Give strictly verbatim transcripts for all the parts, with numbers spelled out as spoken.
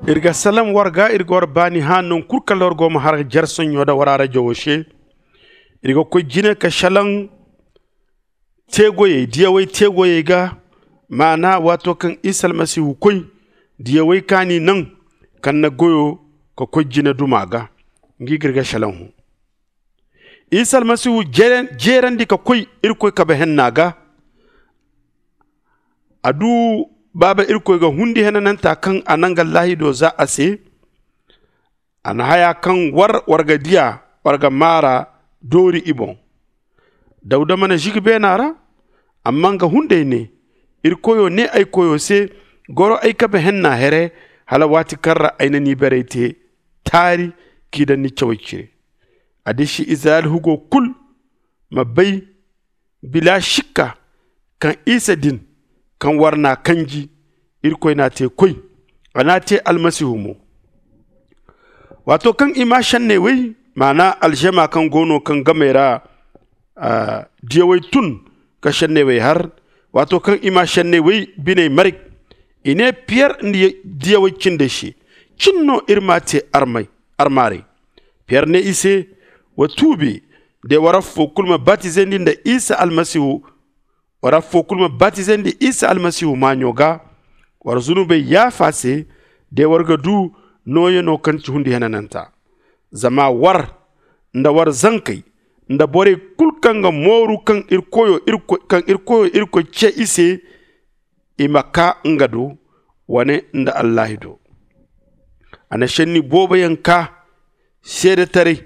Iri ga salaŋ war ga, iri ga war baani hã nangu kulu kaŋ war go ma har jare soɲõ da war arajo wo se. Iri ga koy jine ka salaŋ teegoyey, diyawey teegoyey ga. Maana waato kaŋ isa almasihu koy, diyawey kaŋ a n'i naŋ, kaŋ na goyo ka koy jine duma ga, nga i ga iri ga salaŋ hõ. Isa almasihu jeerandi ka koy irkoy kabe henna ga. A du baaba irkoy ga hundi henananta kaŋ a naŋ ga laahido za a se. A na haya kaŋ war war ga diya, war ga maara doori i boŋ. Dawda mana zigi beena ra, amma nga hunday ne, irkoyo ne ay koyo se, goro ay kabe henna here, hala waati kaŋ ra ay na ni beeray te taari k'i daŋ ni cawey cire. A disi izirayel hugo kulu ma bay bila sikka kaŋ isa din, kaŋ war n'a kanji, irkoy n'a te koy, a n'a te almasihu mo. Waato kaŋ i maa senney wey, maana alžama kaŋ go no kaŋ gamey ra diyawey tun ka senney wey har, waato kaŋ i maa senney wey biney maray, i ne piyer nda diyawey cindey se, cin no iri m'a te armaaray. Piyer ne i se, wa tuubi, de war affo kulu ma batizandi nda isa almasihu war affo kulu ma batizandi isa almasihu maaɲo ga, war zunubey yaafa se, de war ga du nooyano kaŋ ci hundi henananta. Zama war nda war zankey nda borey kulu kaŋ ga mooru kaŋ iri koyo iri ce i se, i ma kaa nga do wane nda allaahi do. A na senni booboyaŋ kaa seedetaray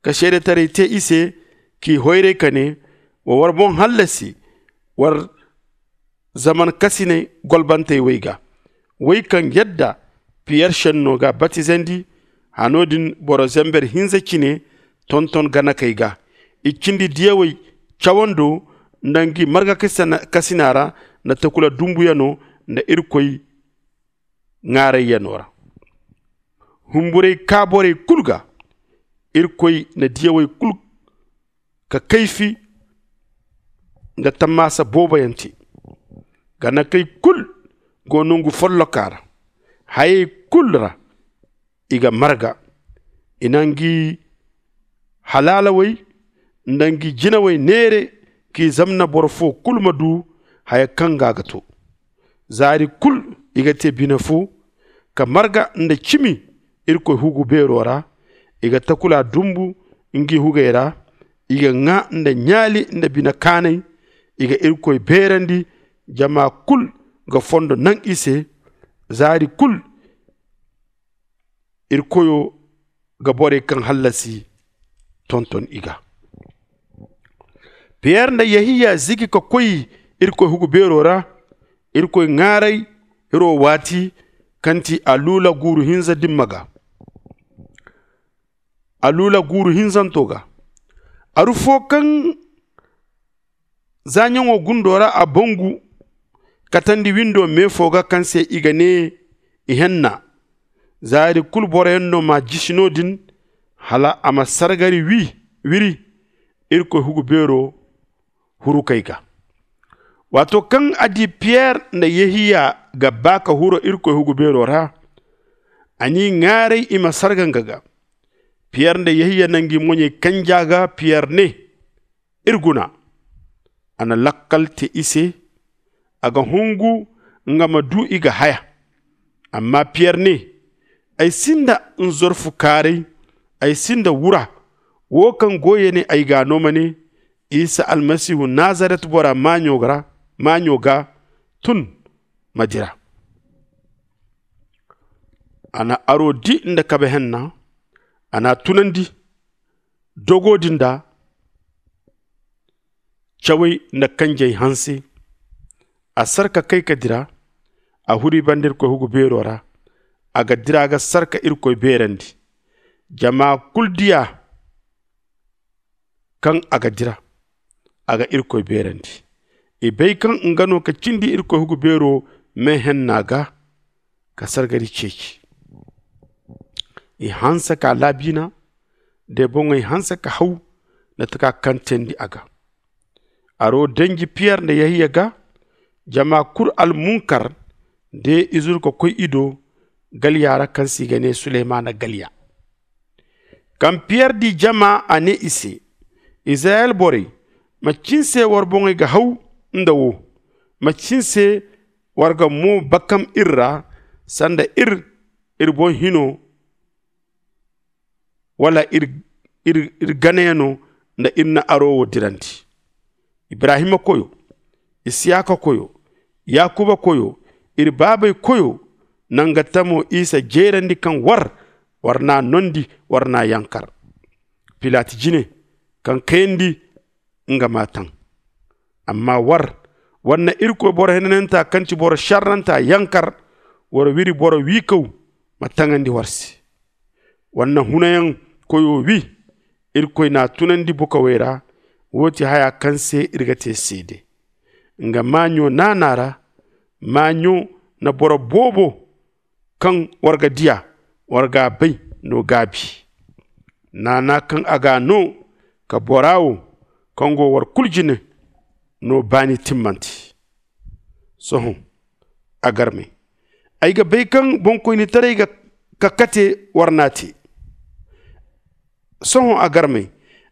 ka seedetaray te i se, k'i hoyray ka ne, wa war boŋ hallasi war zaman kasiney golbantey wey ga, wey kaŋ yadda piyer senno ga batizandi. Hano din boro zember hinza cine tonton ganakey ga, i cindi diyawey cawando nda ngi marga kasina ra nda takula dumbuyano nda irkoy ŋaarayyano ra. Humburay kaa borey kulu ga, irkoy na diyawey kulu ka kayfi nda tammaasa booboyaŋ te. Ganakey kulu go nongu folloka ra. Hayey kulu ra i ga marga. I na ngi halaalawey nda ngi jinawey neere k'i zamna boro fo kulu ma du haya kaŋ ga a ga to. Zaari kulu i ga te bine fo ka marga nda cimi irkoy hugu beero ra. I ga takula dumbu ngi hugey ra. I ga ŋaa nda ɲaali nda bine kaanay. I ga irkoy beerandi. Jama kulu ga fondo naŋ i se. Zaari kulu iri koyo ga borey kaŋ hallasi tonton i ga. Piyer nda yehiya zigi ka koy irkoy hugu beero ra. Irkoy ŋaaray hiro waati kaŋ ti a luula guuru hinza dimma ga. A luula guuru hinzanto ga. Aru fo kaŋ zaaɲaŋo gundo ra a bangu katandi windo me fo ga kaŋ se i ga ne ihenna. Zaari kulu boroyaŋ no m'a jisi no-din hala a ma sargari wi wiri irkoy hugu beero hurukey ga. Waato kaŋ a di piyer nda yehiya ga ba ka huro irkoy hugu beero ra, a n'i ŋaaray i ma sarga nga ga. Piyer nda yehiya na ngi moɲey kanja ga piyer ne, iri guna. A na lakkal te i se a ga hungu nga ma du i ga haya. Amma piyer ne, ay sinda nzorfu kaaray, ay sinda wura. Wo kaŋ goyey ne ay gaa no ma ne, isa almasihu nazaret bora maaɲo ga tun ma dira. A na aro di nda kabe henna. A n'a tunandi dogo din da cawey nda kanjey hanse. A sar ka kay ka dira. A huri banda irkoy hugu beero ra. A ga dira ga sar ka irkoy beerandi. Jama kulu diya kaŋ a ga dira a ga irkoy beerandi. I bay kaŋ nga no ka cindi irkoy hugu beero me henna ga ka sargari ceeci. I hanse ka laabiina de boŋey hanse ka haw nda taka kaŋ teendi a ga. Aro danji piyer nda yehiya ga. Jama kulu almunkar de i zuru ka koy i do. galya ra kaŋ se i ga ne suleymaana galya. Kaŋ piyer di jama a ne i se, izirayel borey, macin se war boŋey ga haw nda wo? Macin se war ga mo bakam iri ra sanda iri iri boŋ hino, wala iri ganayaŋo nda iri na aro wo dirandi? Ibrahima koyo, isiyaka koyo, yakuba koyo, iri baabey koyo, nanga tamo isa jeerandi kaŋ war war n'a noondi, war n'a yankar. Pilat jine, kaŋ kayandi, nga m'a taŋ. Amma war, war na irkoy boro henananta kaŋ ti boro šarranta yankar, war wiri boro wiikaw ma taŋandi war se. War na hunayaŋ koyo wi, irkoy n'a tunandi bukawey ra. Wo ti haya kaŋ se iri ga te seede. Nga maaɲo naana ra, maaɲo na boro boobo kaŋ war ga diya, war g'a bay no gaabi. Naana kaŋ a g'a no ka bora wo kaŋ go war kulu jine no baani timmante. Sohõ, a garmey, ay ga bay kaŋ boŋkoynitaray ga ka kate war n'a te. Sohõ, a garmey,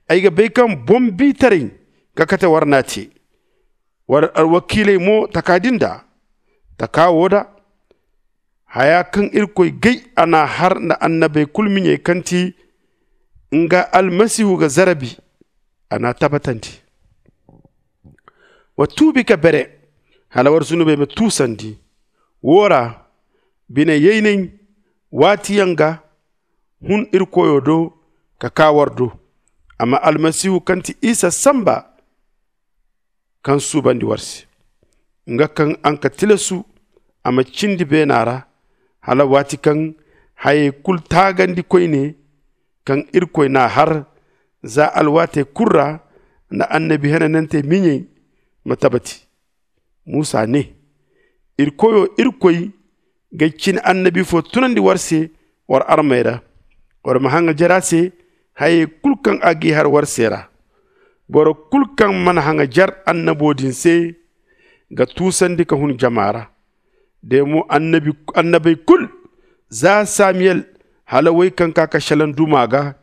ay ga bay kaŋ boŋ-bi-taray ka kate war n'a te. War alwakiiley mo taka din da taka wo da haya kaŋ irkoy gay a n'a har nda annabey kulu miɲey kaŋ ti nga almasihu ga zarabi, a n'a tabbatandi. Wa tuubi ka bere hala war zunubey ma tuusandi. Wo ra, bine yaynay waatiyaŋ ga hun iri koyo do ka kaa war do. Amma almasihu kaŋ ti isa samba kaŋ suubandi war se, nga kaŋ araŋ ka tilasu a ma cindi beena ra, hala waati kaŋ hayey kulu taagandi koyne kaŋ irkoy n'a har za alwaatey kulu ra nda annabi henanantey miɲey ma tabati. Musa ne, iri koyo irkoy ga cine annabi fo tunandi war se war armey ra, war ma haŋajer a se hayey kulu kaŋ a g'i har war se ra. Boro kulu kaŋ mana haŋajer annabo din se ga tuusandi ka hun jama ra. De mo annabey kulu, za samiyel hala wey kaŋ ka ka šelaŋ duma ga,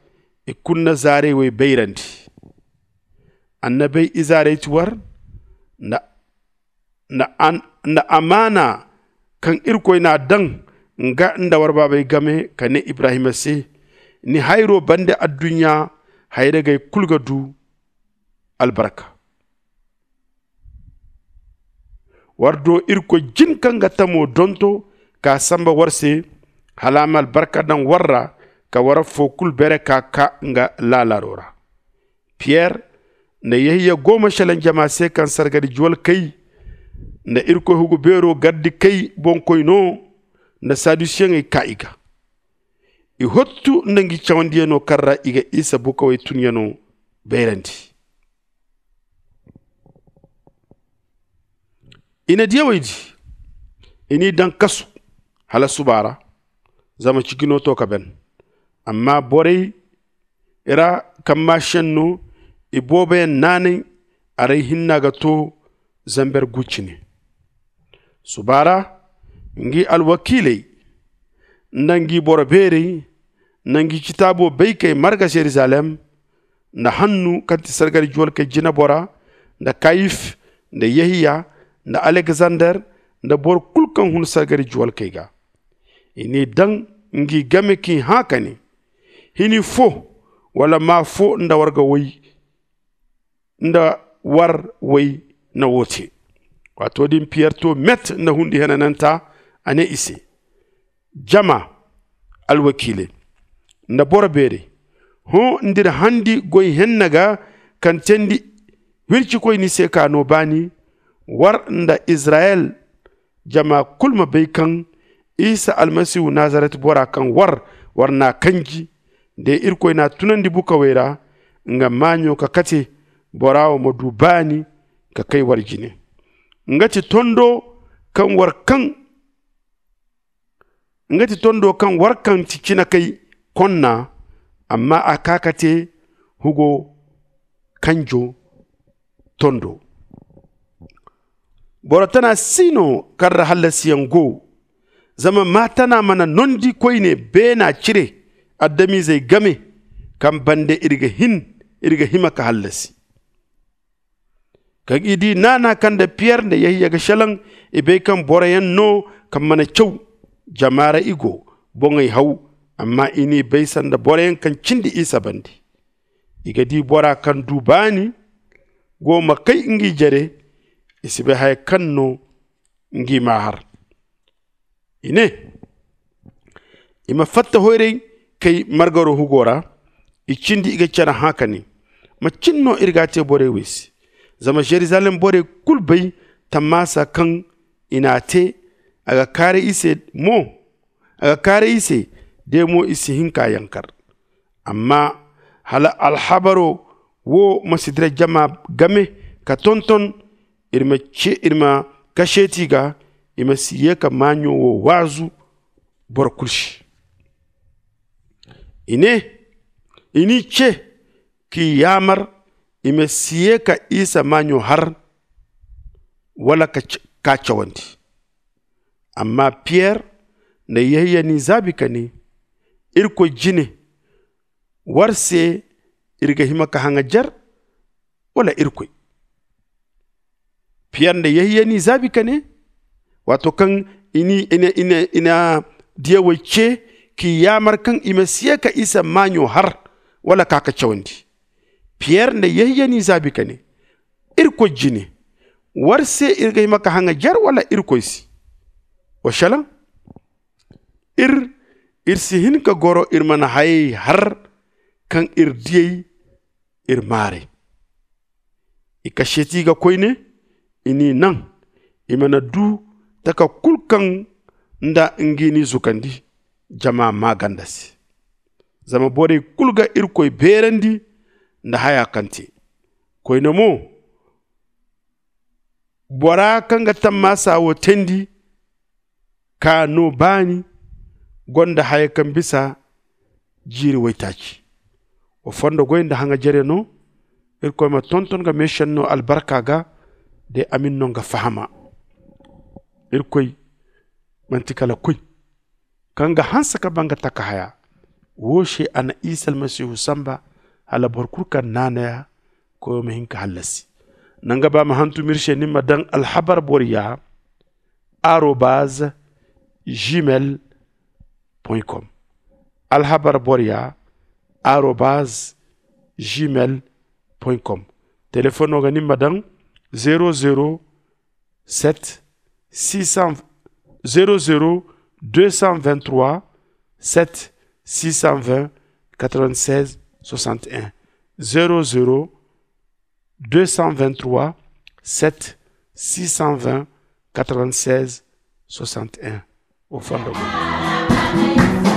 i kulu na zaarey wey bayrandi. Annabey izaarey ti war nda nda amaana kaŋ irkoy n'a daŋ nga nda war baabey game ka ne ibrahima se, ni hayro bande adduɲɲa hayragey kulu ga du albarka. War do irkoy jin kaŋ ga tamo donto ka samba war se, hala a ma albarka daŋ war ra ka war affo kulu bere ka kaa nga laalaaro ra. Piyer nda yehiya go ma šelaŋ jama se kaŋ sargari juwalkey nda irkoy hugu beero gardikey boŋkoy no nda sadusiyeŋey kaa i ga. I hottu nda ngi cawandiyaŋo kaŋ ra i ga isa bukawey tunyaŋo bayrandi. I na diyawey di, i n'i daŋ kasu hala suba ra, zama ciji no to ka ban. Amma borey ra kaŋ maa šenno, i booboyaŋ naanay, arey hinna ga to zamber gu cine. Suba ra, ngi alwakiiley nda ngi boro beerey nda ngi citaabo baykey marga yeruzalem, nda hannu kaŋ ti sargari juwalkey jinebora, nda kayif, nda yehiya, nda alekzander, nda boro kulu kaŋ hun sargari juwalkey ga. I n'i daŋ ngi game k'i hã ka ne, hini fo wala maa fo nda war ga woy nda war woy na wo te. Waato din piyer to met nda hundi henananta, a ne i se, jama, alwakiiley nda boro beerey, hõ, nd'iri handi goy henna ga kaŋ teendi wircikoy ni se ka no baani. War nda izirayel jama kulu ma bay kaŋ isa almasihu nazaret bora kaŋ war war n'a kanji, de irkoy n'a tunandi bukawey ra, nga maaɲo ka kate bora wo ma du baani ka kay war jine. Nga ti tondo kaŋ war kaŋ nga ti tondo kaŋ war kaŋ ti cine kay konna, amma a kaa ka te hugo kanjo tondo. Boro tana si no kaŋ ra hallasiyaŋ go, Zama maatana mana nondi koyne beena cire adamizey game, kaŋ bande iri ga hima ka hallasi. Kaŋ i di naana kaŋ nda piyer nda yahiya ga šelaŋ, i bay kaŋ boroyaŋ no kaŋ mana caw. Jama ra i go, boŋey haw, amma i n'i bay sanda boroyaŋ kaŋ cindi isa bande. I ga di bora kaŋ du baani go ma kay ngi jare. I si bay haya kaŋ no ngi m'a har. I ne, i ma fatta hoyray kay margaro hugo ra. I cindi i ga care hã ka ne, macin no iri ga a te borey wey se? Zama jerusalem borey kulu bay tammaasa kaŋ i n'a te. A ga kaaray i se mo a ga kaaray i se, de mo i si hin k'a yankar. Amma hala alhabaro wo ma si dira jama game ka tonton, iri ma kaseeti ga, i ma si ye ka maaɲo wo waazu boro kulu se. I ne, i n'i ce k'i yaamar i ma si ye ka isa maaɲo har, wala k'a cawandi. Amma piyer nda yahiya n'i zaabi ka ne, irkoy jine, war se iri ga hima ka haŋajer, wala irkoy? Piyer nda yahiya n'i zaabi ka ne, waato kaŋ i na diyawey ce k'i yaamar kaŋ i ma si ye ka isa maaɲo har, wala ka ka cawandi. Piyer nda yahiya n'i zaabi ka ne, irkoy jine, war se iri ga hima ka haŋajer wala irkoy se? Wa šelaŋ, iri iri si hin ka goro iri mana hayey har kaŋ iri diyey iri maaray. I kaseeti ga koyne, i n'i naŋ i mana du taka kulu kaŋ nda ngi n'i zukandi jama maaganda se. Zama borey kulu ga irkoy beerandi nda haya kaŋ te. Koyne mo, bora kaŋ ga tammaasa wo teendi ka no baani gonda haya kaŋ bisa jiiri waytaaci. Wa fondo goy nda haŋajere no. Irkoy ma tonton ga meesenno albarka ga de amin no nga fahama. Irkoy manti kala koy kaŋ ga hanse ka ba nga taka haya. Wo se a na isa almasihu samba hala boro kulu kaŋ naanaya koyo ma hin ka hallasi. Nanga ba ma hantum iri se ni ma daŋ alhabar boro ya arobaz gmail com. Alhabar boro ya arobaz gmail com. Telefoŋo ga ni ma daŋ zero zero sept six cent zero zero deux cent vingt-trois sept six cent vingt quatre-vingt-seize soixante et un. Zero zero deux cent vingt-trois sept six cent vingt quatre-vingt-seize soixante et un. Au fond de moi.